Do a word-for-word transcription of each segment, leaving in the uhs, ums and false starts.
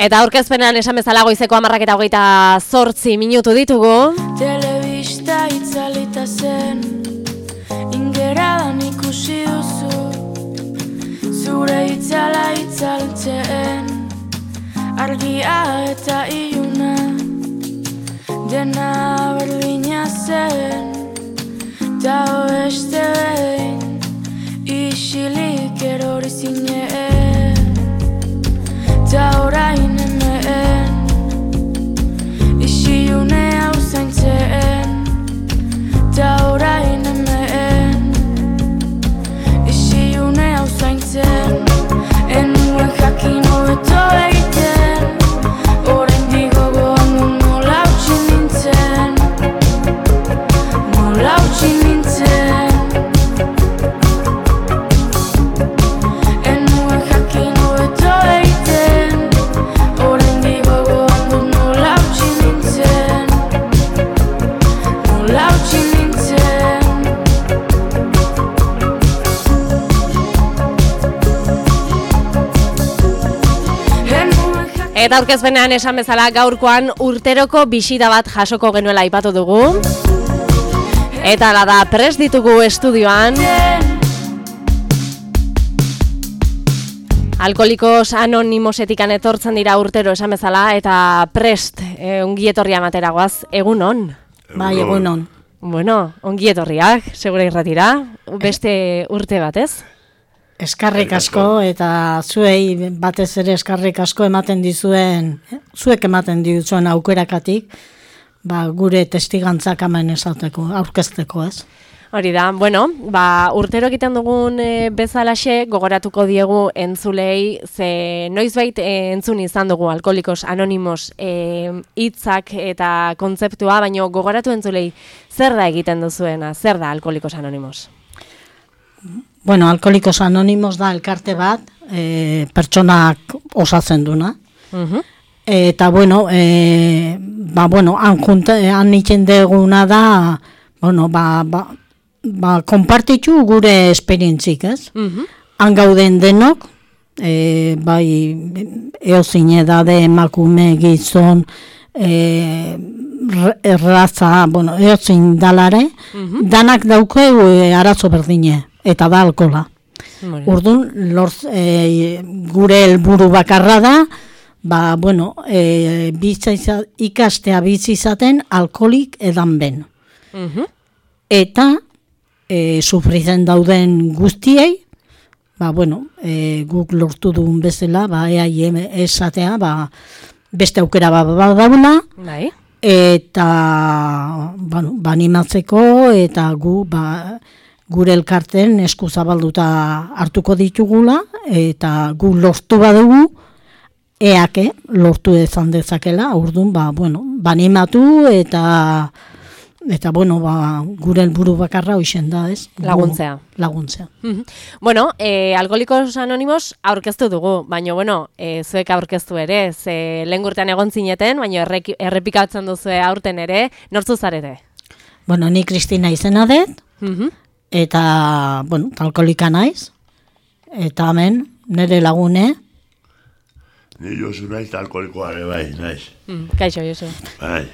Eta aurkezpenean esan bezala goizeko hamarrak eta hogeita zortzi minutu ditugu. Telebista itzalita zen, ingeradan ikusi duzu, zure itzala itzaltzen, argia eta iluna, dena berdina zen, ta oeste behin, isilik erori zinen, ta orain hemen, isiune hau zaintzen, ta orain hemen, isiune hau zaintzen, enuen jakin hobeto egiten, oraindik gogoan du nola utzi nintzen, nola utzi nintzen. Enuen jakin hobeto egiten, oraindik gogoan du nola utzi nintzen, nola utzi nintzen. Eta aurkezpenean esan bezala gaurkoan urteroko bisita bat jasoko genuela aipatu dugu. Eta ala da, prest ditugu estudioan. Alkoholikos Anonimosetikan etortzen dira urtero esan bezala, eta prest e, ongietorria materagoaz, egun on. Bai, egun on. Bueno, ongietorriak, segura irratira, beste urte batez. Eskarrik asko eta zuei batez ere eskarrik asko ematen dizuen, eh? zuek ematen dizuen aukerakatik, ba, gure testigantzak hemen esateko, aurkezteko, ez? Hori da, bueno, ba, urtero egiten dugun e, bezalaxe gogoratuko diegu entzulei, ze noizbait e, entzun izan dugu Alkoholikos Anonimos hitzak e, eta kontzeptua, baina gogoratu entzulei zer da egiten duzuena, zer da Alkoholikos Anonimos? Bueno, Alkoholikos Anonimos da elkarte bat, e, pertsonak osatzen duna. Uh-huh. Eta, bueno, e, ba, bueno, han, junta, han itzen deguna da, bueno, ba, ba, ba, konpartitu gure esperientzik, ez? Uh-huh. Han gauden denok, e, bai, eozin edade, emakume, gizon, e, erraza, bueno, eozin dalare, uh-huh. danak daukeu e, arazo berdine. Eta da alkola. Orduan, lorz, e, gure helburu bakarra da, ba, bueno, e, bizitza, ikastea bizi izaten alkoholik edan ben. Uh-huh. Eta, e, sufritzen dauden guztiei, ba, bueno, e, guk lortu dugun bezala, ba, eai esatea, ba, beste aukera ba, ba, dauna, bai. Eta, bueno, banimatzeko, eta gu, ba, gure elkarten esku zabalduta hartuko ditugula, eta gu lortu badugu, eake lortu ezan dezakela, orduan, ba, bueno, banimatu, eta, eta bueno, ba, gure helburu bakarra hoixen da, ez? Laguntzea. Laguntzea. Uh-huh. Bueno, eh, Alkoholikos Anonimos aurkeztu dugu, baina, bueno, eh, zuek aurkeztu ere, ze lehen urtean egon zineten, baina errepikatzen duzu aurten ere, nortzu zarete? Bueno, ni Kristina izena dut, uh-huh. Eta, bueno, alkoholika naiz, eta hemen, nire lagune. Ni Josu naiz, alkoholikoa ere bai, naiz. Mm, kaixo, Josu. Bai.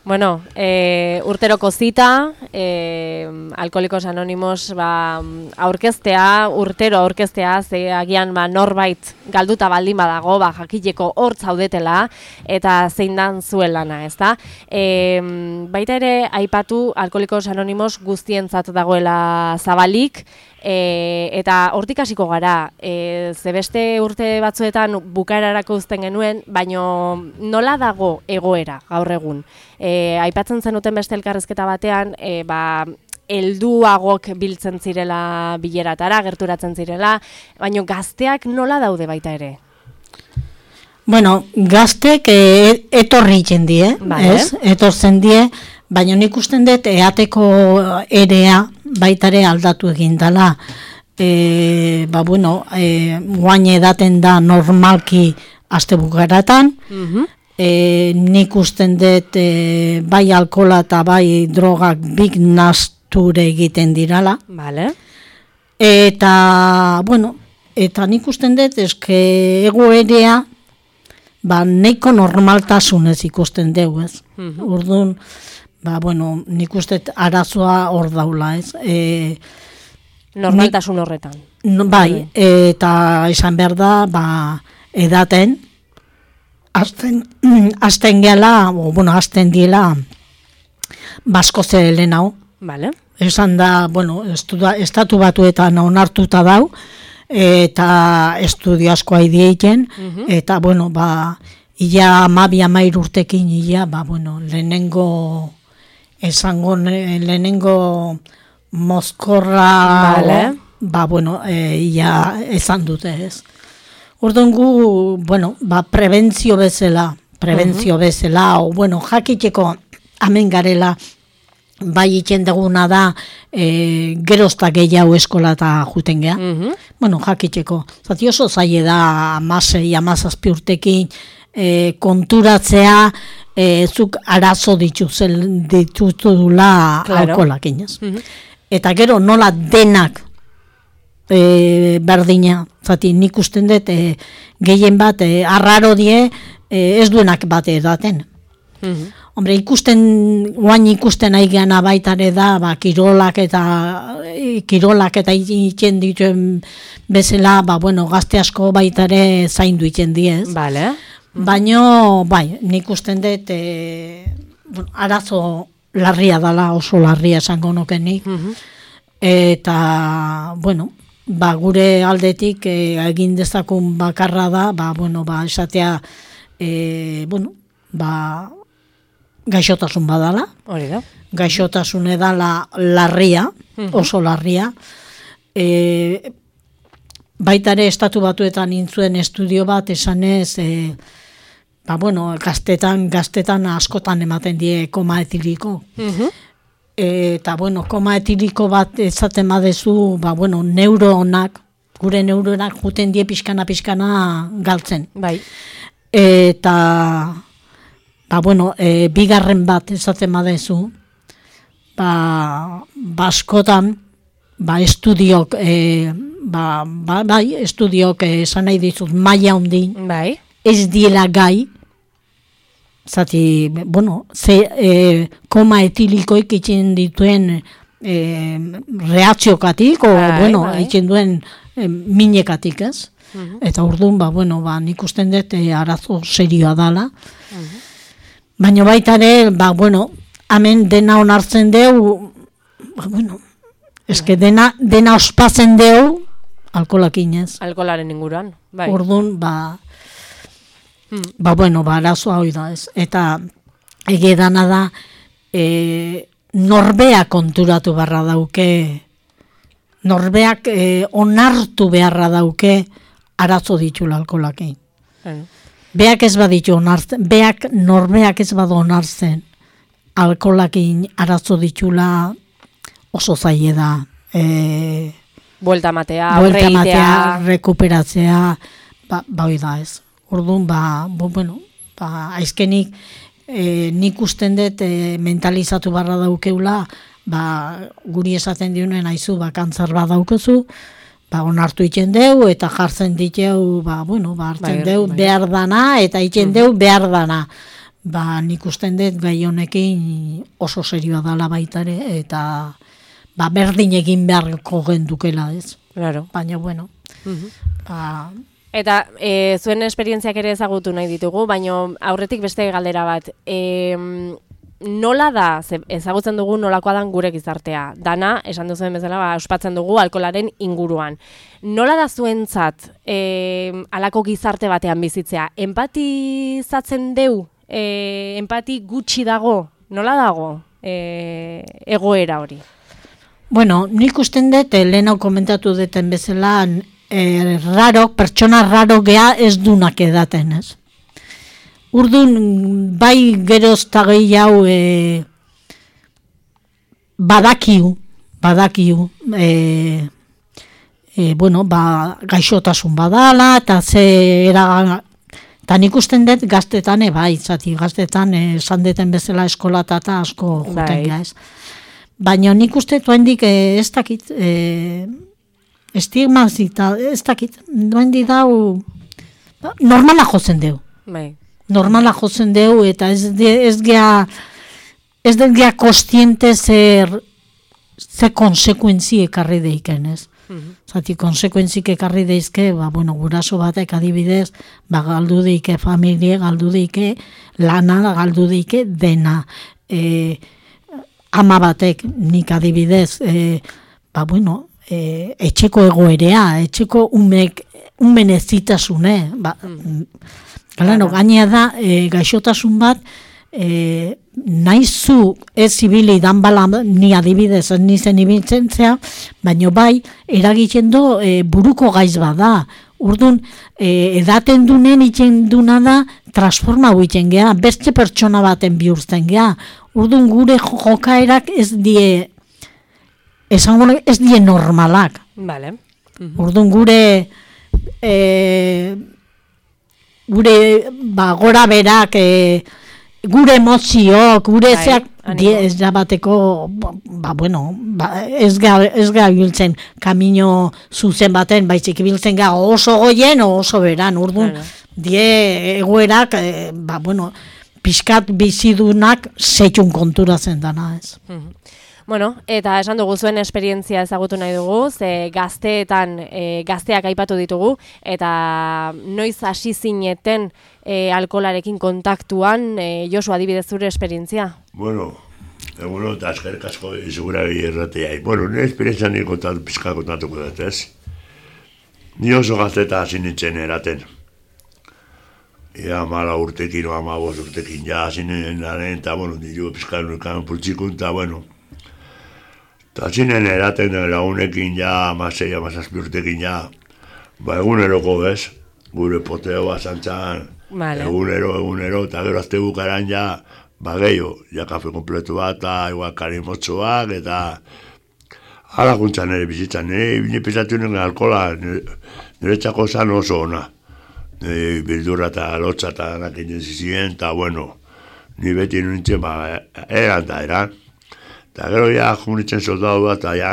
Bueno, e, urteroko zita, e, Alkoholikos Anonimos ba, aurkeztea, urtero aurkeztea, ze agian ba, norbait galduta baldin badago, ba, jakileko hor zaudetela, eta zein dan zuen lana, ezta? E, baita ere, aipatu Alkoholikos Anonimos guztientzat dagoela zabalik, E, eta hortik hasiko gara, e, ze beste urte batzuetan bukaerarako uzten genuen, baino nola dago egoera gaur egun. E, aipatzen zenuten beste elkarrizketa batean, e, ba, helduagok biltzen zirela bileratara, gerturatzen zirela, baino gazteak nola daude baita ere? Bueno, gaztek e, etorri jendie, vale. Ez? Etortzen die, baina nik usten dut eateko erea baitare aldatu egin dela. E, ba, bueno, e, guain edaten da normalki astebukaratan, uh-huh. e, nik usten dut e, bai alkola eta bai drogak big nasture egiten dirala. Vale. Eta, bueno, eta nik usten dut eske egoerea ba, neiko normaltasunez ikusten dugu, ez? Orduan, ba, bueno, nik uste arazoa hor daula, ez? E, Normaltasun horretan. No, bai, eta izan behar da, ba, edaten, azten, azten gela, o, bueno, azten diela, basko ze lehenau. Vale. Esan da, bueno, estuda, estatu batuetan onartuta dau, eta estudio asko haidieiten, eta, bueno, ba, ia amabi amair urtekin, ia, ba, bueno, lehenengo, esango, lehenengo mozkorra, vale. Ba, bueno, e, ia esan dute, ez. Orduan gu, bueno, ba, prebentzio bezala, prebentzio bezala, o, bueno, jakiteko hemen garela, bai itzen duguna da, e, gerozta gehiago eskola eta juten geha. Bueno, jakiteko. Zati oso zaie da, amasei, amazazpi urtekin, e, konturatzea, e, zuk arazo dituzel, dituzula claro. alkoholak inez. Eta gero nola denak e, berdina, zati nik usten dut e, gehien bat, e, arraro die, e, ez duenak bate edaten. Hombre, ikusten, guain ikusten aigana baitare da, ba, kirolak eta kirolak eta itzen dituen bezala, ba, bueno, gazte asko baitare zaindu itzen diez. Vale. Baino, bai, nik usten dut, e, bueno, arazo larria dala, oso larria esango nokenik, eta, bueno, ba, gure aldetik e, egin dezakun bakarra da, ba, bueno, ba, esatea, e, bueno, ba, gaixotasun badala. Hori da. Gaixotasun edala larria, oso larria. E, baitare estatu batuetan intzuen estudio bat esanez, e, ba, bueno, gaztetan, gaztetan askotan ematen die koma etiliko. Eta, bueno, koma etiliko bat ezaten badezu, ba, bueno, neuronak, gure neuronak juten die pixkana-pixkana galtzen. Bai. Eta, ba, bueno, e, bigarren bat ezaten badezu, ba, baskotan, ba, estudiok, e, ba, ba, bai, estudiok esan nahi dizut maila hondin, Bai. ez diela gai, zati, bueno, ze, e, koma etilikoik itzen dituen e, reakziokatik, o, bai, bueno, bai. itzen duen e, minekatik, ez? Eta orduan, ba, bueno, ba, nik usten dut e, arazo serioa dala. Baina baita ere, ba, bueno, hemen dena onartzen deu, ba, bueno, eske dena, dena ospatzen deu, alkoholakin ez. Alkolaren inguruan. Bai. Orduan, ba, ba, bueno, ba, arazoa hoi da ez. Eta ege dana da, e, norbea konturatu beharra dauke, norbeak e, onartu beharra dauke arazo ditula alkoholakin. Bueno. Beak ez baditu onartzen, beak norbeak ez badu onartzen, alkoholakin arazo ditula oso zaie da. E, Buelta matea, Buelta aurre matea, egitea. rekuperatzea, ba, ba hoi da ez. Orduan, ba, bo, bueno, ba, aizkenik, e, nik usten dut e, mentalizatu barra daukeula, ba, guri esaten diunen aizu, ba, kantzar bat daukezu, ba, onartu itzen deu, eta jartzen diteu, ba, bueno, ba, hartzen Bai, deu bai. behar dana, eta itzen deu behar dana. Ba, nik usten dut gai honekin oso serioa dala baitare, eta ba, berdin egin beharko gendukela, ez? Claro. Baina, bueno, ba, Eta e, zuen esperientziak ere ezagutu nahi ditugu, baina aurretik beste galdera bat. E, nola da, ze ezagutzen dugu nolakoa dan gure gizartea? Dana, esan duzuen bezala, ba, ospatzen dugu alkolaren inguruan. Nola da zuentzat e, alako gizarte batean bizitzea? Empatizatzen deu? E, empati gutxi dago? Nola dago e, egoera hori? bueno, nik usten dut, eh, lehen hau komentatu duten bezala, eh, raro, pertsona raro gea ez dunak edaten, ez? Urdun, bai geroz eta gehiago e, badakiu, badakiu, e, e, bueno, ba, gaixotasun badala, eta ze era, eta nik usten dut gaztetan, e, bai, zati, gaztetan, esan deten bezala eskolata eta asko juten Bai. gara, ez? Baina nik uste duendik e, ez dakit, e, estigmazita, ez dakit, duendik dau, normala jotzen deu. Bai. normala jotzen dugu, eta ez, de, ez gea, ez den gea kostiente zer, ze konsekuentzi ekarri deiken, ez? Mm-hmm. Zati, konsekuentzik ekarri deizke, ba, bueno, guraso batek adibidez, ba, galdu deike familie, galdu deike lana, galdu deike dena. E, ama batek, nik adibidez, e, ba, bueno, e, etxeko egoerea, etxeko umek, umen ezitasune, ba, mm. Galano, gainea da, e, gaixotasun bat, e, naizu ez ibili dan bala, ni adibidez, ni zen ibiltzen zea, baino bai, eragiten do e, buruko gaiz bada. Urdun, e, edaten dunen itzen duna da, transforma huiten geha, beste pertsona baten bihurtzen geha. Urdun, gure jokaerak ez die, esango ez die normalak. Vale. Uh-huh. Urdun, gure... E, gure ba, gora berak, e, gure emozioak, gure bai, zeak, ez da bateko, ba, bueno, ba, ez ga, ez ga biltzen kamino zuzen baten, baizik biltzen ga oso goien, oso beran, urdun, claro. Die egoerak, e, ba, bueno, pixkat bizidunak setxun kontura zen dana, ez. Uh-huh. Bueno, eta esan dugu zuen esperientzia ezagutu nahi dugu, ze gazteetan e, gazteak aipatu ditugu, eta noiz hasi zineten e, alkoholarekin kontaktuan, e, Josu, adibidez zure esperientzia? Bueno, eguno eta azkerrik asko izugura erratea. Bueno, nire esperientzia nire kontatu, pizka kontatuko dut, ez? Ni oso gazteta hasi nintzen eraten. Ia mala urtekin, o amabos urtekin, ja hasi nintzen, eta bueno, nire pizka nurkan pultsikun, eta bueno, eta zinen eraten lagunekin ja, amasei, amazazpi urtekin ja, ba eguneroko bez, gure poteo basantzan, vale. egunero, egunero, eta gero azte bukaran ja, ba gehiago, ja kafe kompletu bat, eta igual karimotxoak, eta ala juntzan nire bizitzan, nire, nire pisatu nire alkola, nire, nire txako zan oso ona, nire bildurra eta lotza eta nakin zizien, eta bueno, nire beti nintzen, ba, eran da eran, eta gero ja junitzen soldadu bat, eta ja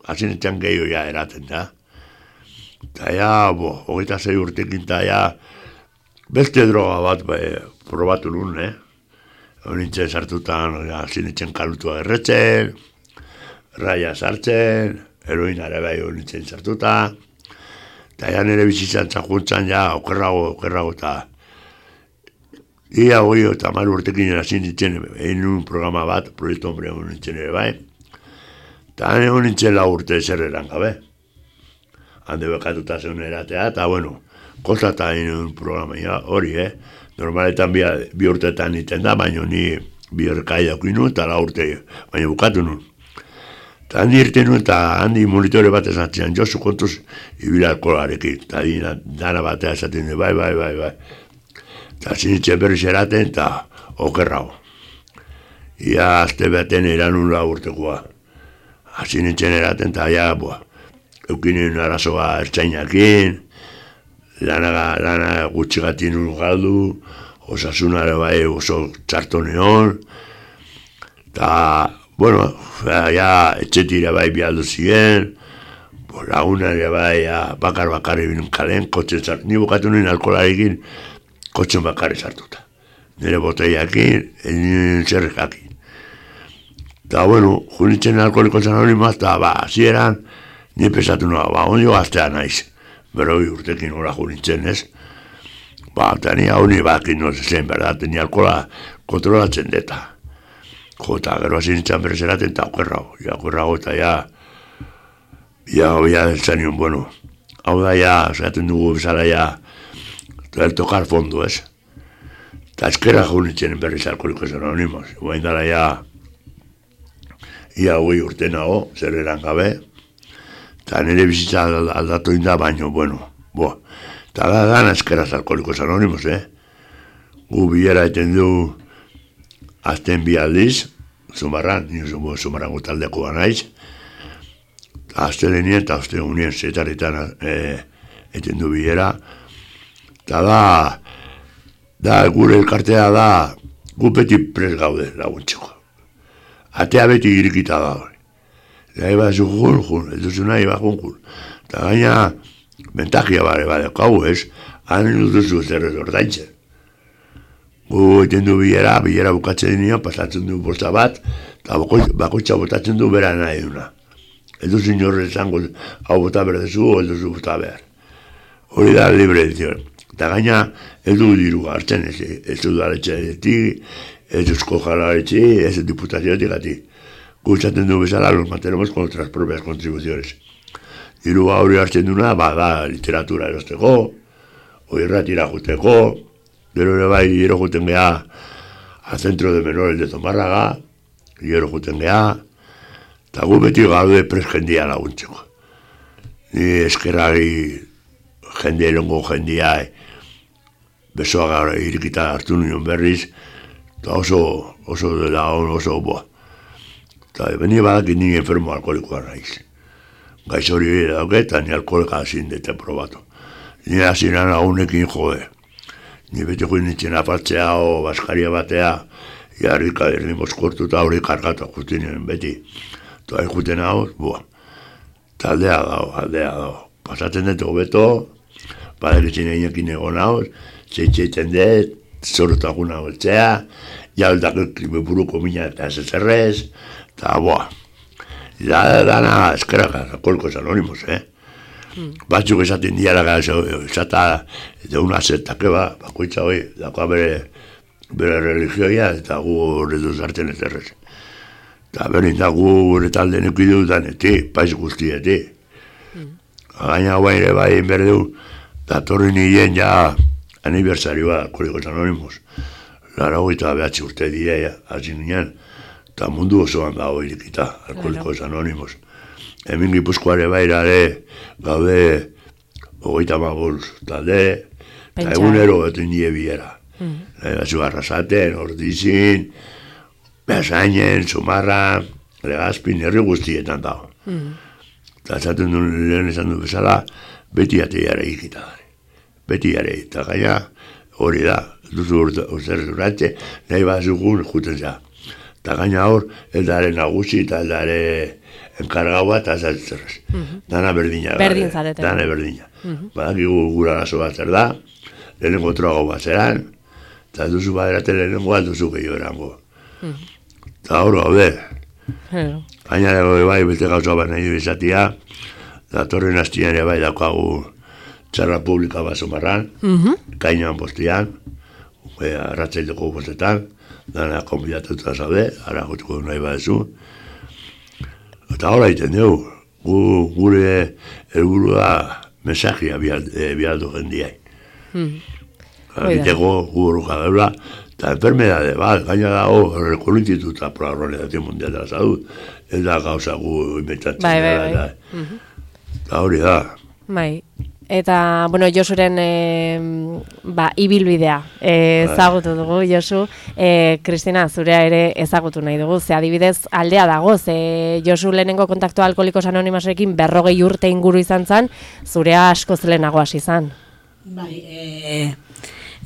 hasinetzen gehiago ja eraten da. Eta ja, bo, hogeita zei urtekin, eta ja beste droga bat ba, probatu nun, eh? Nintzen sartutan, ja, hasinetzen kalutua erretzen, raia sartzen, heroinare bai nintzen sartuta, eta ja nire bizitzan txakuntzan, ja, okerrago, okerrago, eta ia hoi eta maru urtekin erasin nintzen, egin un programa bat, proiektu hombre hon nintzen ere bai, eta hon nintzen lau urte zer eran gabe. Hande bekatuta zeun eratea, eta bueno, kostata egin un programa ja, hori, eh? Normaletan bi, bi urteetan nintzen da, baina ni bi erkai daukin nun, eta lau urte, baina bukatu nun. Eta handi irten nun, eta handi monitore bat esatzean, Josu kontuz ibila alkoholarekin, eta dina, dana batea esaten du, bai, bai, bai, bai. Eta zinitzen berriz eraten, eta okerrago. Ia azte baten eranun lau urtekoa. Hasi nintzen eraten, eta ja, boa, eukinen arazoa ertzainakin, lana, lana gutxigatin un galdu, osasunare bai oso txartoneon, eta, bueno, ja, etxetira bai bialdu ziren, lagunare bai, ja, bakar-bakar ebin kalen, kotxen sartu, ni bukatu nien alkoholarekin, kotxen bakarri sartuta. Nire boteiakin, nire zerrekakin. Eta, bueno, junitzen alkoholiko anonimoa, eta, ba, zieran, nire pesatu noa, ba, ondio gaztea naiz. Beroi urtekin hori junitzen, ez? Ba, eta nire hau nire bakin no zen, berda, nire alkohola kontrolatzen deta. Jo, eta gero hasi nintzen berezeraten, eta okerrago, ja, okerrago, eta ja, ja, ja, zanion, bueno, hau da, ja, zaten dugu bezala, ja, el tocar fondo, ez? Eta eskera junitzen berriz alkoholikos anonimos. Guain dara ja, ia hoi urte nago, zer eran gabe, eta nire bizitza aldatu inda, baino, bueno, bo. Eta da, dana eskeraz alkoholikos anonimos, eh? Gu bilera eten du, azten bi aldiz, Zumarran, nio Zumarran gutaldeko naiz, azten denien eta azten unien zetarritan eh, eten du bilera, eta da, da, gure elkartea da, gu beti pres gaude laguntzeko. Atea beti irikita da hori. Nahi bat zu jun, jun, ez duzu nahi bat jun, jun. Eta gaina, bentakia bare, bare, kau ez, han duzu zer ez ordaintzen. gu egiten du bilera, bilera bukatzen denean, pasatzen du bosta bat, eta bakoitza botatzen du bera nahi duna. Ez du zinorre izango, hau bota berdezu, o ez duzu bota behar. Hori da libre edizion. Eta gaina, ez du diru hartzen, ez, ez du daletxeetik, ez duzko jalaretxi, ez diputazioetik gati. Gu izaten du bezala, los mantenemos con nuestras propias contribuciones. Diru hori hartzen duna, ba, da literatura erosteko, o irratira juteko, gero ere bai, gero juten geha al centro de menores de Zomarraga, gero juten geha, eta gu beti gaude pres jendia laguntzeko. Ni eskerrari jende erongo jendia, besoa gara irikita hartu nion berriz, eta oso, oso dela on, oso boa. Eta beni badakit ni enfermo alkoholikoa naiz. Gaiz hori dauke, eta ni alkoholika hazin dete probatu. Ni hazinan agunekin jode. Ni beti join nintzen apartzea o baskaria batea, jarrika erdi moskortu eta hori kargatu justinen beti. Eta juten hau, boa. Eta aldea dago, aldea dago. Pasatzen dut hobeto, baderitzen einekin egon hau, zeitzeiten dut, zorotakun hau etzea, jaldak buruko mina eta zezerrez, eta boa. Da, dana eskeraka, alkoholikos anónimos, eh? Mm. Batzuk esaten diara, esata, eta una sekta ba, bakoitza hoi, dakoa bere, bere religioia, eta gu horretu zartzen ez errez. Eta berin da gu gure talde nekidu daneti, paiz guztieti. Mm. Gaina guain ere bai berdu, datorri nien ja aniversarioa alkoholikos anónimos. Lara hogeita behatzi urte dira, hasi ninen, eta mundu osoan dago irikita, alkoholikos anónimos. Hemen Gipuzkoare bairare gaude hogeita magul talde, eta egunero betu nire biera. Batzu Arrasaten, Ordizin, Beasainen, Zumarra, Legazpin, herri guztietan dago. Eta esaten duen lehen esan du bezala, beti ateiare ikita gare. Beti ere, eta gaina hori da, duzu urzer duratxe, nahi bat zugun juten za. Eta gaina hor, eldare nagusi eta eldare enkargaua eta zatzerrez. Dana berdina. Berdin zareten. Dana berdina. Badakigu gura arazo bat zer da, lehenengo troago bat zeran, eta duzu baderate lehenengo bat duzu gehiago erango. Eta hor gaude. Gaina dago bai, beste gauza bat nahi du izatea, datorren hastian ere bai daukagu txarra publika bat Zomarran, kainan postian, arratzaileko postetan, dana konbidatuta zaude, ara gotuko nahi badezu. Eta hori egiten dugu, gu, gure helburua mensagia bialdu jendiai. Egiteko gu horruka daula, eta enfermedade bat, gaina dago Herreko Instituta por la Organización Mundial de la Salud, ez da gauza gu inventatzen. Bai, bai, bai. Eta hori da. Bai. Eta, bueno, Josuren e, ba, ibilbidea e, ezagutu dugu, Josu. E, Kristina, zurea ere ezagutu nahi dugu. Ze adibidez aldea dago, ze Josu lehenengo kontaktua Alkoholikos Anonimosekin berrogei urte inguru izan zen, zurea asko zelenago hasi izan. Bai, e,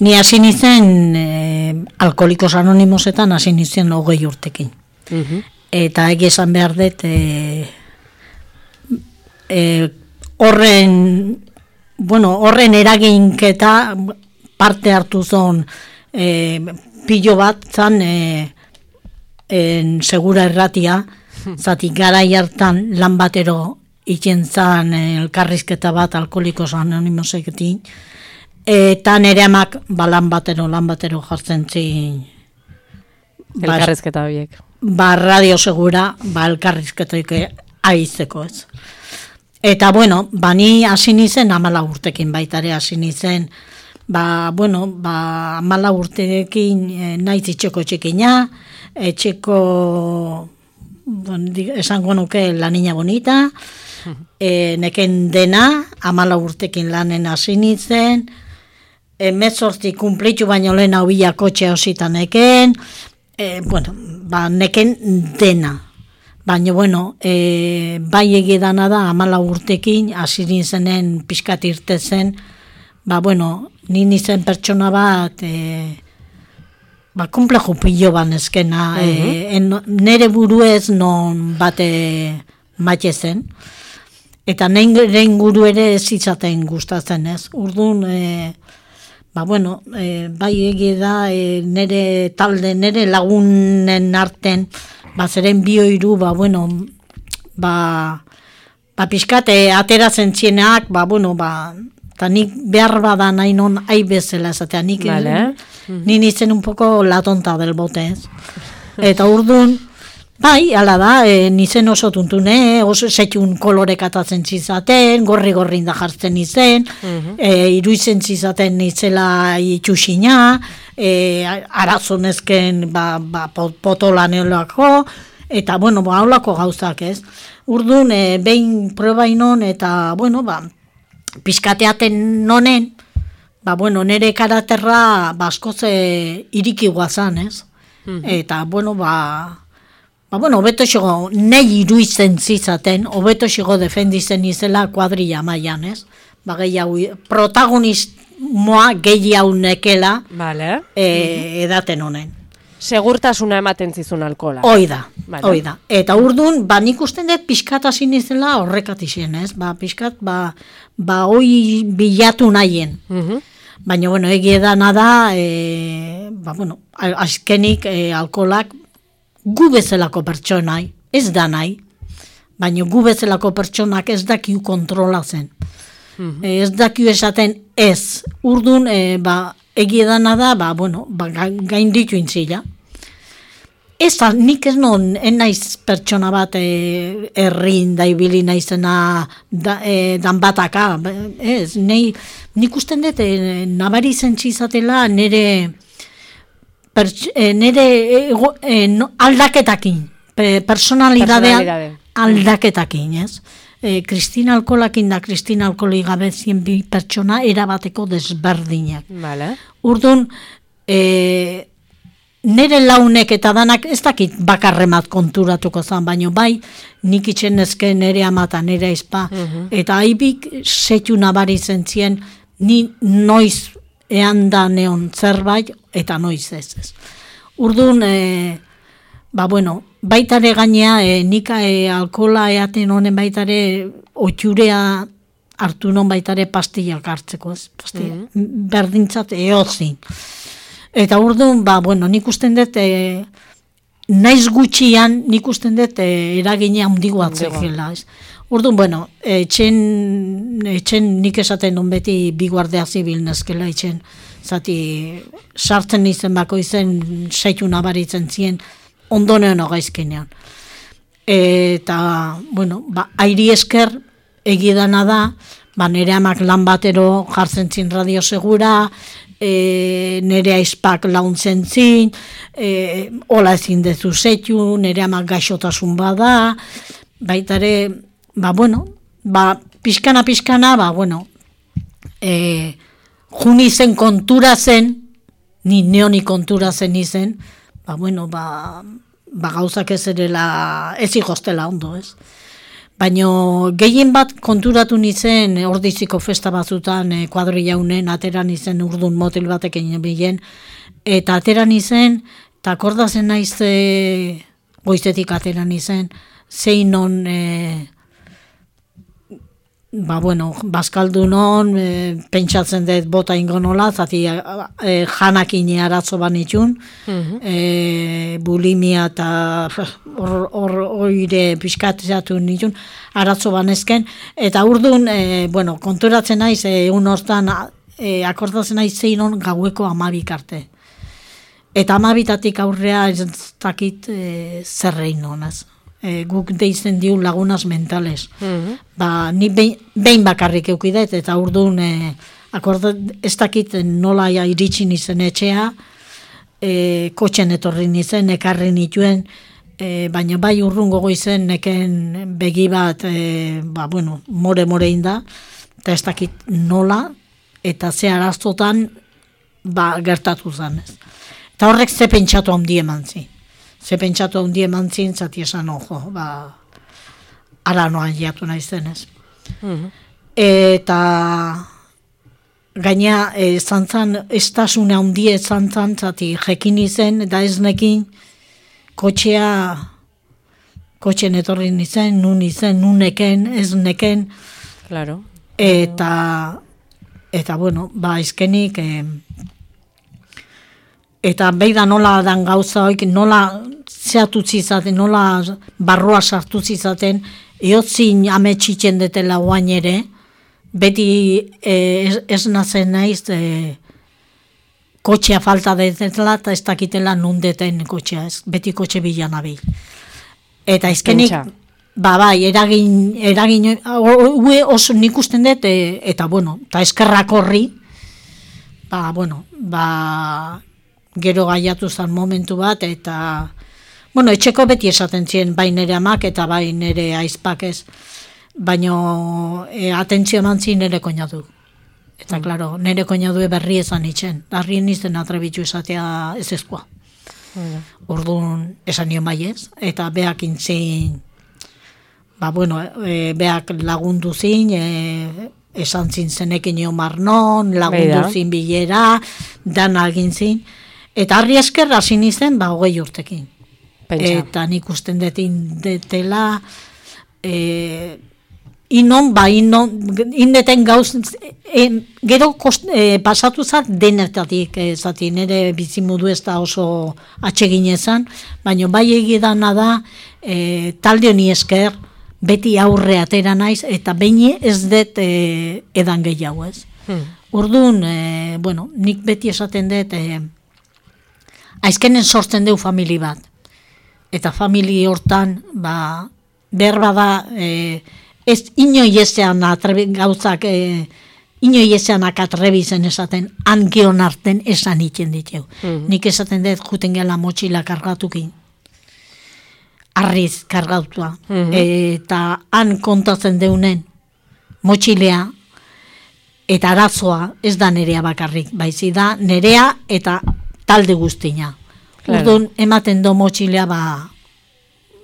ni hasi nintzen e, Alkoholikos Anonimosetan hasi nintzen hogei urtekin. Uh-huh. Eta egi esan behar dut, e, e, horren... Bueno, horren eraginketa parte hartu zon e, pilo bat zan e, en segura erratia, zati garai hartan lan batero itzen zan elkarrizketa bat Alkoholikos Anonimosekin, eta nere amak ba, lan batero, lan batero jartzen zin. Elkarrizketa horiek. Ba, radio segura, ba, elkarrizketaik aizeko ez. Eta, bueno, ba, ni hasi nizen amala urtekin baitare hasi nizen, ba, bueno, ba, amala urtekin e, naiz itxeko txikina, etxeko, bon, esango nuke la niña bonita, e, neken dena, amala urtekin lanen hasi nizen, emezortzi kumplitu baino lehen hau bila kotxe hausitan neken, e, bueno, ba, neken dena. Baina, bueno, e, bai egidana da, amala urtekin, hasi nintzenen pixkat irtezen, ba, bueno, ni nintzen pertsona bat, e, ba, komplejo pilo ban ezkena, uh-huh. e, en, nere buruez non bate maite zen, eta nire inguru ere ez izaten gustatzen ez. Urduan, e, ba, bueno, e, bai egie da, e, nere talde, nere lagunen arten, ba, zeren bio hiru, ba, bueno, ba, ba, pixkate, ateratzen txienak, ba, bueno, ba, eta nik behar bada nahi non ai bezala esatea, nik Vale. ni nintzen un poco la tonta del bote, ez? Eta urdun, bai, ala da, e, nizen oso tuntune, oso setxun kolorek atatzen txizaten, gorri-gorri da jartzen nizen, e, iruizen txizaten nitzela itxusina, e, arazonezken ba, ba, potolan eolako, eta, bueno, ba, haulako gauzak, ez? Urdun, e, behin probainon, eta, bueno, ba, pizkateaten nonen, ba, bueno, nere karaterra baskoz e, iriki guazan, ez? Eta, bueno, ba, ba, bueno, hobeto xigo, nahi iruitzen zizaten, hobeto xigo defendizen izela kuadrilla mailan, ez? Ba, gehiago, protagonismoa gehiago nekela Vale. e, edaten honen. Segurtasuna ematen zizun alkola. Hoi da, Vale. hoi da. Eta urdun, ba, nik usten dut pixkat hasi nizela horrekat izien, ez? Ba, pixkat, ba, ba, hoi bilatu nahien. Mhm. Baina, bueno, egie dana da, e, ba, bueno, azkenik e, alkolak gu bezalako pertsonai, ez da nahi, baina gu bezalako pertsonak ez dakiu kontrolatzen. Mm-hmm. E, ez dakiu esaten ez. Urdun, e, ba, egie dana da, ba, bueno, ba, gain ditu intzila. Ez da, nik ez non, en naiz pertsona bat e, errin da ibili naizena da, e, dan bataka. Ez, nei, nik usten dut, e, nabari zentzizatela nire, perts, e, nire e, e, no, aldaketakin, pe, personalidadean Personalidade. aldaketakin, ez? E, Kristina Alkolakin da Kristina Alkoli gabezien bi pertsona erabateko desberdinak. Vale. Urdun, e, nire launek eta danak ez dakit bakarremat konturatuko zan, baino bai, nik itxen ezke nire amata, nire aizpa, eta haibik setu nabari zentzien, ni noiz ean da neon zerbait, eta noiz ez ez. Urdun, e, ba bueno, baitare gainea, e, nik e, alkola eaten honen baitare otxurea hartu non baitare pastillak hartzeko, ez? Pastilla, berdintzat eozin. Eta urdun, ba, bueno, nik usten dut, e, naiz gutxian, nik usten dut e, eragina handigo atzekela, ez? Urdun, bueno, etxen, etxen nik esaten non beti bi guardia zibil nezkela etxen, zati sartzen izen bako izen seitu nabaritzen zien, ondonean ogaizkenean. Eta, bueno, ba, airi esker egidana da, ba, nire amak lan batero jartzen zin radio segura, e, nire aizpak launtzen zin, e, hola ezin dezu zeitu, nire amak gaixotasun bada, baitare, ba, bueno, ba, pixkana, pixkana, ba, bueno, e, juni zen kontura zen, ni neoni kontura zen izen, ba, bueno, ba, ba gauzak ez erela, ez igostela ondo, ez? Baina gehien bat konturatu nizen ordiziko festa batzutan e, kuadrilla unen, ateran izen urdun motel batekin bilen, eta ateran izen, eta akordazen naiz e, goizetik ateran izen, zein non, e, ba bueno, bazkaldunon, e, pentsatzen dut bota ingo nola, zati e, janakin arazo banitxun, e, bulimia eta hor oire pixkatzeatu nitun, arazo banezken, eta urdun, e, bueno, konturatzen naiz, egun e, hortan, e, akordatzen naiz zein on gaueko amabik arte. Eta amabitatik aurrea ez dakit e, zerrein honaz. E, guk deitzen diu lagunas mentales. Mm-hmm. Ba, ni behin, behin bakarrik eukidet, eta urdun, e, akordat, ez dakit nola ja iritsi nizen etxea, e, kotxen etorri nizen, ekarri nituen, e, baina bai urrun gogo izen neken begi bat, e, ba, bueno, more-more inda, eta ez dakit nola, eta ze araztotan, ba, gertatu zanez. Eta horrek ze pentsatu handi eman zi. Ze pentsatu handi eman zin, zati esan ojo, ba, ara noan jatu nahi zenez. Mm-hmm. Eta gaina, e, zantzan, estasune handi zantzan, zati jekin izen, eta ez nekin, kotxea, kotxen etorri nizen, nun izen, nun neken, ez neken, Claro. eta eta bueno, ba, izkenik, e, eta beida nola dan gauza hoik, nola zehatutzi izaten, nola barroa sartutzi izaten, eotzin ametxitzen detela guain ere, beti e, ez, ez nazen naiz, e, kotxea falta detela, eta ez dakitela nundeten kotxea, ez, beti kotxe bilan abil. Eta izkenik, ba, bai, eragin, eragin, hue oso nik usten dut, e, eta bueno, eta eskerrak horri, ba, bueno, ba, gero gaiatu zen momentu bat, eta, bueno, etxeko beti esaten ziren, bai nere amak eta bai nere aizpak ez, baino e, atentzio eman zin nere koinatu. Eta, mm. klaro, nere koinatu berri ezan itzen, darrien izten atrebitu esatea ez ezkoa. Mm. Orduan esan nion bai ez, eta beak intzin, ba, bueno, e, beak lagundu zin, e, esan zin zenekin nio marnon, lagundu Beida. Zin bilera, dan agin zin, eta harri esker hasi nizen, ba, hogei urtekin. Pentsa. Eta nik usten detin detela, e, inon, ba, inon, indeten gauz, e, gero kost, e, pasatu zat denetatik, e, zati, nire bizimudu ez da oso atsegin ezan, baina bai egidana da, e, talde honi esker, beti aurre atera naiz, eta behin ez dut e, edan gehiago ez. Hmm. Orduan, e, bueno, nik beti esaten dut, e, aizkenen sortzen deu famili bat. Eta famili hortan, ba, behar bada, e, ez inoi ezean atrebi, gauzak, e, inoi ezeanak atrebizen esaten, angeon arten esan itzen diteu. Hmm. Nik esaten dut, juten gela motxila kargatukin. Arriz kargautua, mm-hmm. eta han kontatzen deunen motxilea eta arazoa ez da nerea bakarrik, baizi da nerea eta talde guztina. Claro. Orduan ematen do motxilea ba...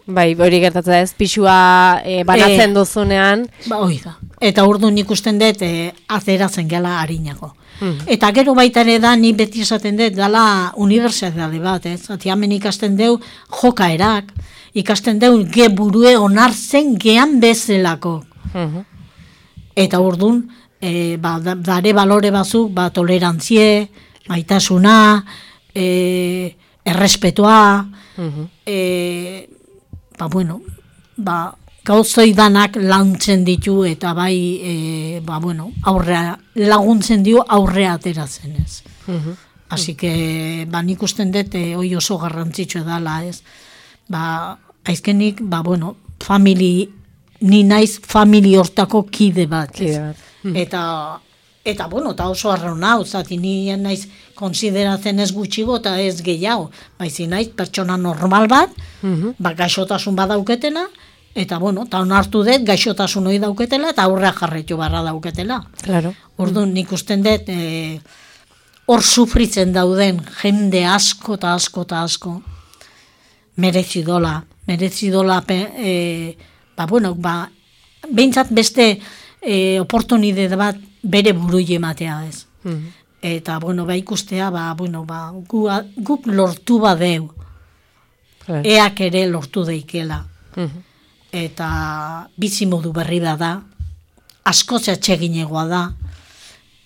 Bai, hori gertatzen da ez, pixua e, banatzen e, duzunean. Ba, hori da. Eta orduan ikusten dut e, azeratzen gela harinako. Mm. Eta gero baita ere da, ni beti esaten dut, dala unibertsitate bat, ez? Ati hemen ikasten deu jokaerak, ikasten deu ge burue onartzen gean bezalako. Mm-hmm. Eta orduan, e, ba, dare balore bazuk, ba, tolerantzie, maitasuna, e, errespetua, mm-hmm. e, ba, bueno, ba, gauzoi danak lantzen ditu eta bai, e, ba, bueno, aurrea, laguntzen dio aurrea ateratzen ez. Uh-huh. Así que, ba, nik usten dut, e, hoi oso garrantzitsua dala ez. Ba, aizkenik, ba, bueno, famili, ni naiz famili hortako kide bat. Kide bat. Uh-huh. Eta, eta, bueno, eta oso arrauna, zati ni naiz konsideratzen ez gutxigo eta ez gehiago. Baizi naiz pertsona normal bat, uh-huh. ba, gaixotasun badauketena, eta, bueno, eta onartu dut, gaixotasun hori dauketela, eta aurrea jarretu barra dauketela. Claro. Orduan, nik usten dut, e, hor sufritzen dauden jende asko eta asko eta asko, merezidola, merezidola, e, ba, bueno, ba, behintzat beste e, oportunidade bat bere burui ematea ez. Mm-hmm. Eta, bueno, ba, ikustea, ba, bueno, ba, gu, guk lortu badeu, claro. Eak ere lortu deikela. Mm-hmm. Eta bizimodu berri da da, asko zatxeginegoa da,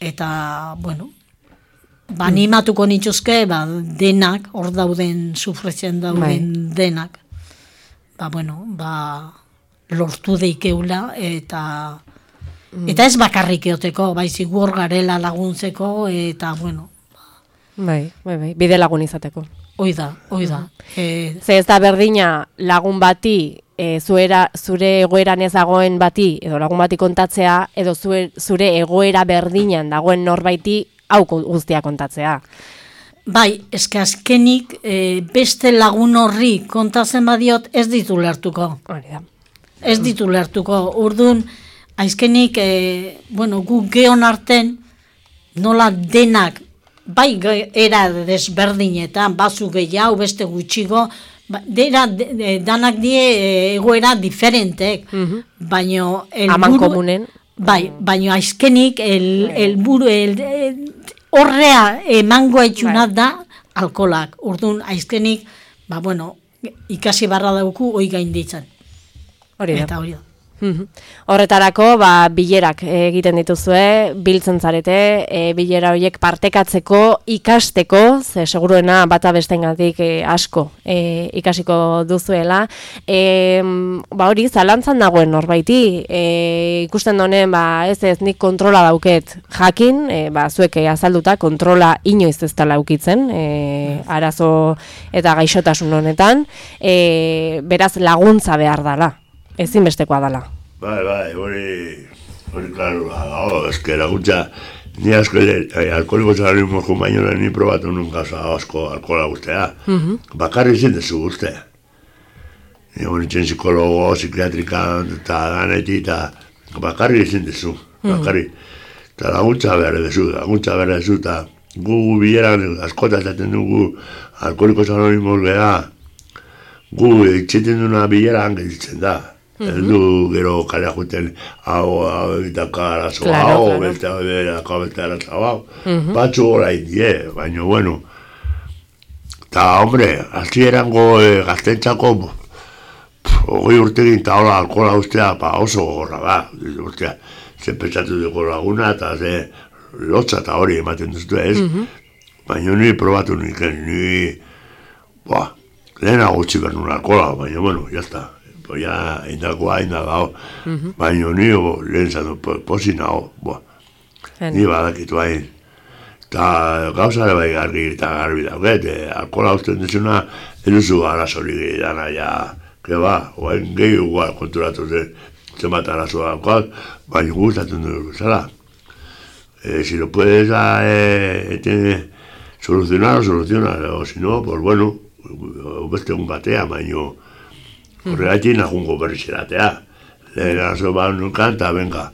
eta, bueno, ba, animatuko nituzke, ba, denak, hor dauden, sufritzen dauden Bai. Denak, ba, bueno, ba, lortu deikeula, eta, mm. eta ez bakarrik eoteko, baizik hor garela laguntzeko, eta, bueno. Bai, bai, bai, bide lagun izateko. Hoi da, hoi da. Mm. E... Ze ez da berdina lagun bati, E, zuera, zure egoeran ez dagoen bati, edo lagun bati kontatzea, edo zure, zure egoera berdinan dagoen norbaiti hau guztia kontatzea. Bai, eske azkenik e, beste lagun horri kontatzen badiot ez ditu lertuko. Hori da. Ez ditu lertuko. Orduan, azkenik, e, bueno, gu geon arten, nola denak, bai era desberdinetan, bazu gehiago, beste gutxigo, Dera, de, danak die egoera diferentek, uh-huh. baino Aman komunen. Bai, baino aizkenik el, el buru, el, el, horrea emango etxuna da alkolak. Orduan aizkenik, ba bueno, ikasi barra dauku hoi gainditzen. Hori da. Eta hori da. Horretarako, ba, bilerak egiten dituzue, biltzen zarete, e, bilera horiek partekatzeko, ikasteko, ze seguruena bata bestengatik e, asko e, ikasiko duzuela. E, ba hori, zalantzan dagoen norbaiti, e, ikusten donen, ba, ez ez nik kontrola dauket jakin, e, ba, zuek azalduta kontrola inoiz ez dela ukitzen, e, arazo eta gaixotasun honetan, e, beraz laguntza behar dala. Ezinbestekoa dala. Bai, bai, hori, hori, klaro, hau, eske laguntza, ni asko ere, alkoholiko anonimos baino ni probatu nun gauza asko alkohola guztea. Bakarri ezin dezu guztea. Ni honitzen psikologo, psikiatrikan, eta daneti, eta bakarri ezin dezu, bakarri. Eta laguntza behar dezu, laguntza behar dezu, eta gu bileran askota esaten dugu alkoholiko anonimos geha, gu itxeten duna bileran gelditzen da. Eldu gero kalea juten hau, hau, egitaka arazo hau, beste hau, beste arazo hau, batzu gora indie, baina, bueno, eta, hombre, hasi erango gaztentzako, hogei urtegin eta hola alkohola ustea, pa oso gorra ba, ustea, ze pentsatu dugu laguna, eta ze lotza eta hori ematen duztu ez, baina ni probatu nik, ni, ba, lehenago utzi behar nun alkohola, baina, bueno, jazta. Ja, indakoa, indagao, baina nio lehen zatu posi nago, ni badakitu hain. Eta gauzare bai garri eta garbi dauket, alkohola usten duzuna, eluzu arazori dana, ja, que ba, oain gehi igual konturatu zen, zenbat arazoa daukot, baina gustatzen dut zela. Si lo puedes solucionar, o solucionar, o si no, pues bueno, beste un batea, baina horregatik nagungo berrizeratea. Lehen arazo bat nukan, eta venga,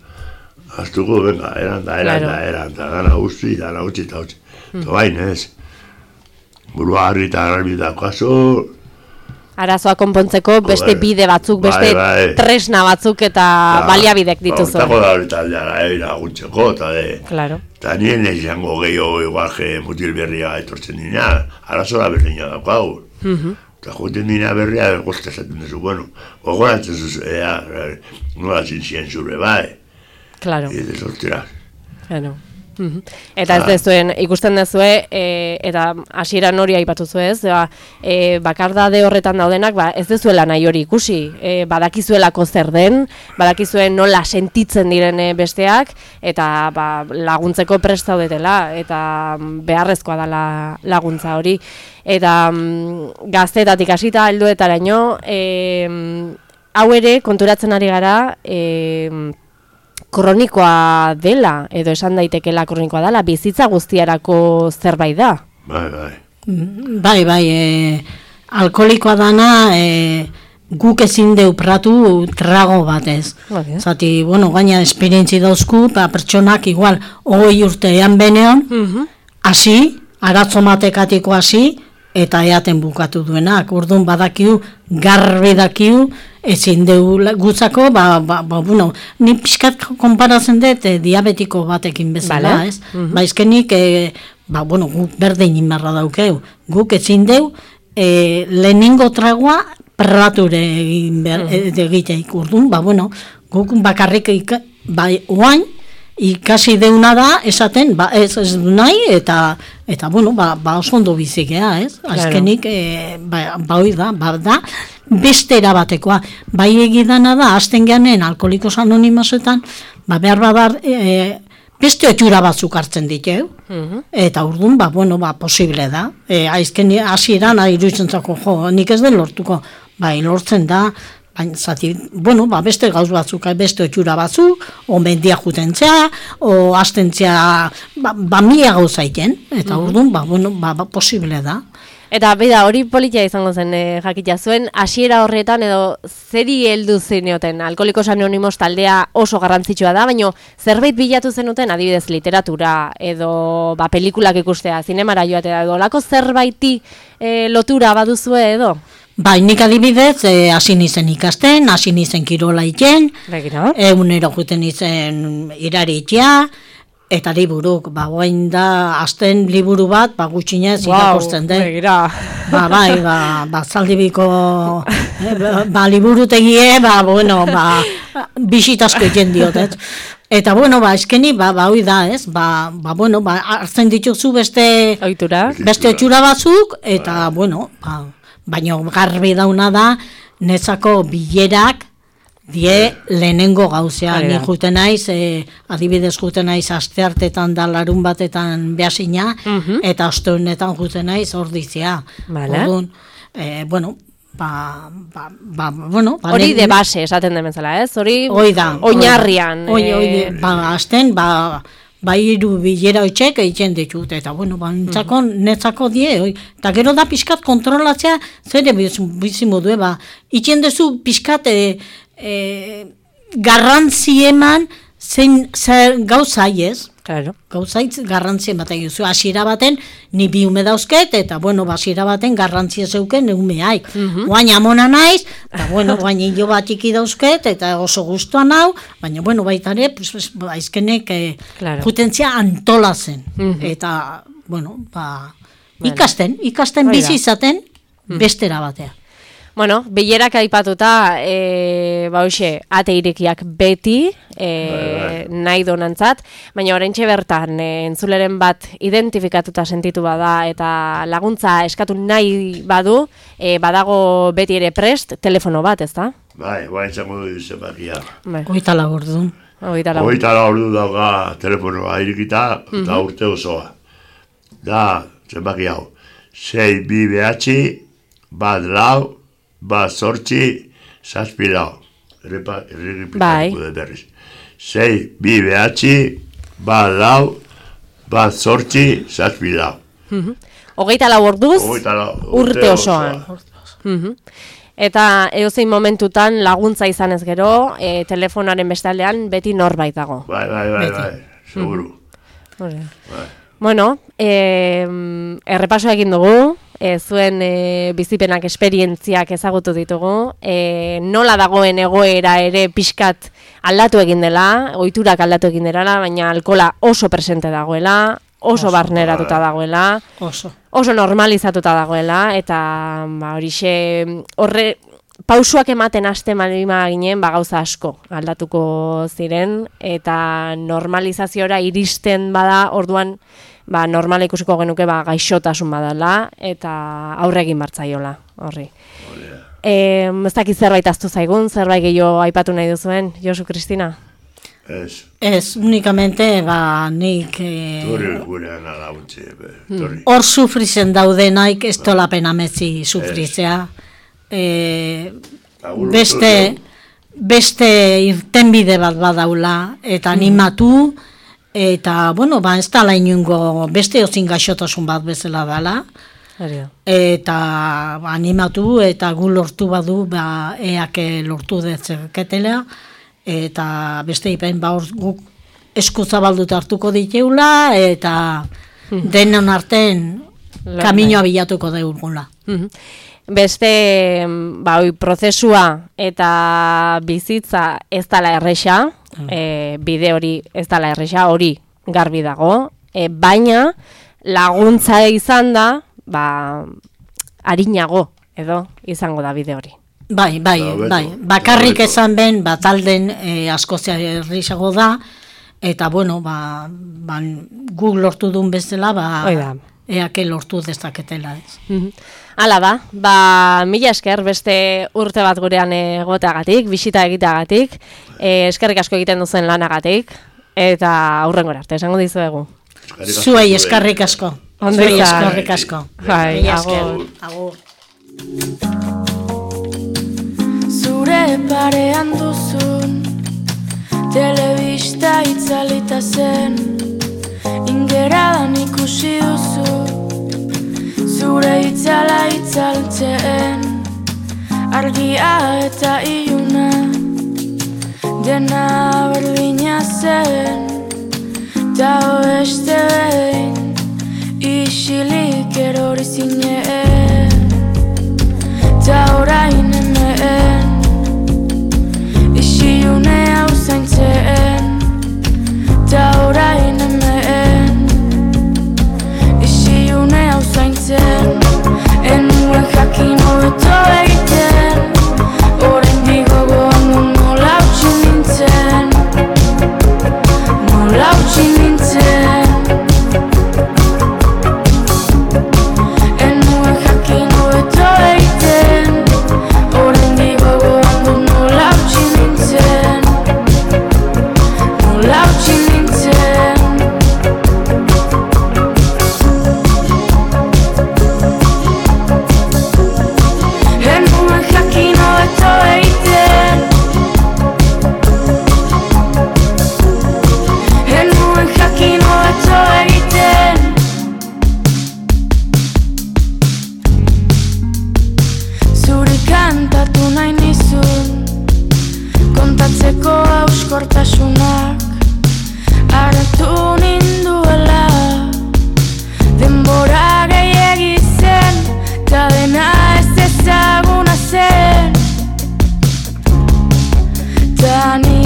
aztuko, venga, eranta, eranta, eranta, gana guzti, gana gutxi eta gutxi. Eta bain, ez. Burua harri eta garbi dakoazo. Arazoa konpontzeko beste bide batzuk, beste tresna batzuk eta baliabidek dituzu. Hortako da hori taldeara, laguntzeko, eta de. Claro. Eta nien ez jango gehiago, igual, je mutil berria etortzen dina, arazoa berdina dakoago. Eta joten dina berria, gozta esaten duzu, bueno, gogoratzen zuzu, ea, nola zintzien zure, bai. Claro. Eta sortira. Claro. Eta ez dezuen, ikusten dezue, e, eta hasieran hori aipatu zuez, e, bakardade horretan daudenak, ba, ez dezuela nahi hori ikusi, e, badakizuelako zer den, badakizuen nola sentitzen diren besteak, eta ba, laguntzeko prest zaudetela, eta beharrezkoa dela laguntza hori. Eta mm, gaztetatik hasita helduetaraino, e, hau ere konturatzen ari gara, e, kronikoa dela, edo esan daitekela kronikoa dela, bizitza guztiarako zerbait da. Bai, bai. Bai, bai, e, alkoholikoa dana e, guk ezin deupratu trago batez. Okay. Zati, bueno, gaina esperientzi dauzku, pa pertsonak igual, hogei urtean benean, hasi, aratzo matekatiko hasi, eta eaten bukatu duenak. Orduan badakiu, garbi dakiu, ezin deu gutzako, ba, ba, ba, bueno, ni pixkat konparatzen dut e, diabetiko batekin bezala, vale. Ez? Uh-huh. Ba, izkenik, e, ba, bueno, guk berdin inbarra daukeu. Guk ezin deu, e, lehenengo tragoa perrature egin behar, uh-huh. egiteik. Orduan, ba, bueno, guk bakarrik, ika, ba, oain, ikasi deuna da, esaten, ba, ez, ez du nahi, eta, eta bueno, ba, ba oso ondo bizikea, ez? Claro. Azkenik, e, ba, ba hoi da, ba, da, beste erabatekoa. Bai egidana da, azten geanen, alkoholikos anonimosetan, ba, behar badar, e, beste otxura batzuk hartzen ditu, uh-huh. Eta urdun, ba, bueno, ba, posible da. E, aizken, hasieran, iruditzen zako, jo, nik ez den lortuko, bai, lortzen da, zati, bueno, ba, beste gauz batzuk, beste otxura batzuk, o mendia jutentzea, o astentzea, ba, ba mila gauzaiten, eta mm-hmm. Orduan, ba, bueno, ba, ba, posible da. Eta, bida, hori politia izango zen, eh, jakita zuen, hasiera horretan, edo, zeri heldu zeneoten, Alkoholikos Anonimos taldea oso garrantzitsua da, baina zerbait bilatu zenuten, adibidez, literatura, edo, ba, pelikulak ikustea, zinemara joatea, edo, lako zerbaiti eh, lotura baduzue, edo? Bai, nik adibidez, hasi e, nizen ikasten, hasi nizen kirola iten, egunero juten nizen irari itea, Eta liburuk, ba, guain da, azten liburu bat, ba, gutxinez irakurtzen den. Begira. Ba, bai, ba, ba zaldibiko, eh, ba, ba, liburutegie, ba, bueno, ba, bisitasko egin diot, ez? Eta, bueno, ba, eskeni, ba, ba, hoi da, ez? Ba, ba, bueno, ba, hartzen dituzu beste... Ohitura. Beste otxura batzuk, eta, bueno, ba, baina garbi dauna da, netzako bilerak, die lehenengo gauzea, ni juten naiz, e, adibidez juten naiz asteartetan da larun batetan behasina, uh-huh. eta ostegunetan juten naiz ordizia. Vale. Orduan, e, bueno, ba, ba, ba, bueno... Ba, hori de base, esaten demenzela, ez? Hori da, oinarrian. Hoi, hoi, e... ba, azten, ba, ba hiru bilera hoitxek egiten ditut, eta, bueno, ba, nintzako, uh-huh. netzako die, oi. Eta gero da pixkat kontrolatzea, zer bizimodue, ba, itxen dezu pixkat, e, E, garrantzi eman zein zer gauzai ez, claro. gauzai garrantzi ematen duzu, hasiera baten ni bi ume dauzket, eta bueno, hasiera baten garrantzia zeuken umeaik, uh-huh. guain amona naiz, eta bueno, guain hilo bat iki dauzket, eta oso gustuan hau, baina bueno, baita ere, pues, pues, aizkenek eh, claro. Putentzia antolatzen, uh-huh. eta bueno, ba, bueno. ikasten, ikasten bizi izaten uh-huh. bestera batea. Bueno, bilerak aipatuta, e, ba hoxe, ate irekiak beti, e, nahi donantzat, baina oraintxe bertan, e, entzuleren bat identifikatuta sentitu bada, eta laguntza eskatu nahi badu, e, badago beti ere prest, telefono bat, ez da? Bai, guain zango du zenbakia. Bai. Oita laburdu. Oita laburdu. Oita laburdu dauka telefonoa irikita, eta uh-huh. urte osoa. Da, zenbaki hau, sei bi behatzi, bat lau, bat zortzi, zazpi lau. Errepa, errepikatuko dut berriz. Sei, bi behatzi, bat lau, bat zortzi, zazpi lau. Hogeita lau orduz, urte osoan. Eta edozein momentutan laguntza izanez gero, e, telefonaren bestaldean beti norbait dago. Bai, bai, bai, bai, seguru. Bai. Bueno, e, errepaso egin dugu, e, zuen e, bizipenak esperientziak ezagutu ditugu, e, nola dagoen egoera ere pixkat aldatu egin dela, ohiturak aldatu egin dela, baina alkola oso presente dagoela, oso, oso barneratuta dagoela, oso, oso normalizatuta dagoela, eta ba, horixe horre pausuak ematen haste malima ginen, ba, gauza asko aldatuko ziren, eta normalizaziora iristen bada, orduan ba, normala ikusiko genuke ba, gaixotasun badala, eta aurre egin bartzaiola, horri. E, ez dakit zerbait aztu zaigun, zerbait gehiago aipatu nahi duzuen, Josu Kristina? Ez. Ez, unikamente, ba, nik... E... Torri gurean alautzi, torri. Hor sufrizen daudenaik, ez tolapena metzi sufrizea. E, beste, beste irtenbide bat badaula, eta animatu, eta, bueno, ba, ez dala inungo beste ozin gaixotasun bat bezala dala, eta ba, animatu, eta gu lortu badu, ba, eake lortu detzeketela, eta beste ipen, ba, guk eskuzabalduta hartuko diteula, eta denon arten kaminoa bilatuko deurgula. Beste, ba, oi, prozesua eta bizitza ez dala erresa, e, bide hori ez dala erresa, hori garbi dago, e, baina laguntza izan da, ba, arinago, edo, izango da bide hori. Bai, bai, bai, bakarrik esan ben, bat alden e, askozia errisago da, eta, bueno, ba, ba, guk lortu duen bezala, ba, eake lortu dezaketela, ez. Hala da, ba, mila esker beste urte bat gurean egoteagatik, bisita egiteagatik, e, eskerrik asko egiten duzen lanagatik, eta aurrengora arte, esango dizuegu. Zuei eskerrik asko. Zuei eskerrik asko. Bai, agur. Agur. Zure parean duzun, telebista itzalita zen, ingeradan ikusi duzu, zure itzala itzaltzen, argia eta iluna, dena berdina zen, ta beste behin, isilik erori zinen, ta orain hemen, isilune hau zaintzen, ta orain hemen. gutxi